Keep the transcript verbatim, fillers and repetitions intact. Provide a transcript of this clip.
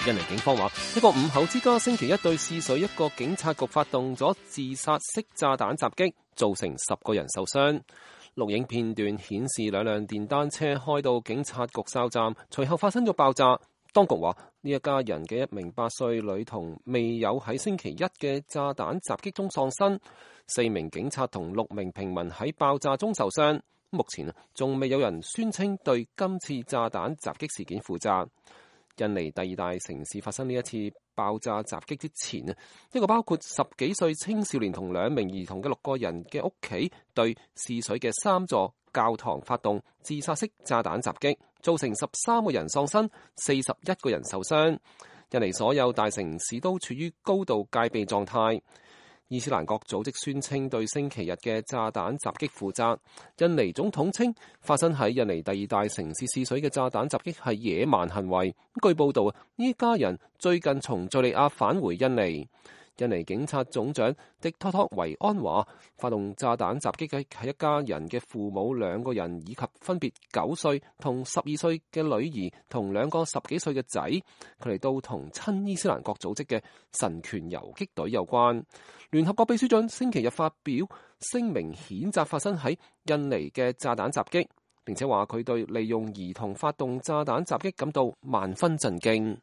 印尼警方話，一個五口之家星期一對試水一個警察局發動咗自殺式炸彈襲擊，造成十個人受傷。錄影片段顯示兩輛電單車開到警察局哨站，隨後發生咗爆炸。當局話呢一家人嘅一名八歲女童未有喺星期一嘅炸彈襲擊中喪生，四名警察同六名平民喺爆炸中受傷。目前仲未有人宣稱對今次炸彈襲擊事件負責。印尼第二大城市發生呢一次爆炸襲擊之前，一個包括十幾歲青少年同兩名兒童嘅六個人嘅屋企對試水嘅三座教堂發動自殺式炸彈襲擊，造成十三個人喪生，四十一個人受傷。印尼所有大城市都處於高度戒備狀態。伊斯蘭國組織宣稱對星期日嘅炸彈襲擊負責。印尼總統稱發生喺印尼第二大城市試水嘅炸彈襲擊係野蠻行為。據報道，呢家人最近從敘利亞返回印尼。印尼警察總長迪托托維安話，發動炸彈襲擊嘅係一家人嘅父母兩個人，以及分別九歲同十二歲嘅女兒同兩個十幾歲嘅仔，佢哋都同親伊斯蘭國組織嘅神權游擊隊有關。聯合國秘書長星期日發表聲明譴責發生喺印尼嘅炸彈襲擊，並且話佢對利用兒童發動炸彈襲擊感到萬分震驚。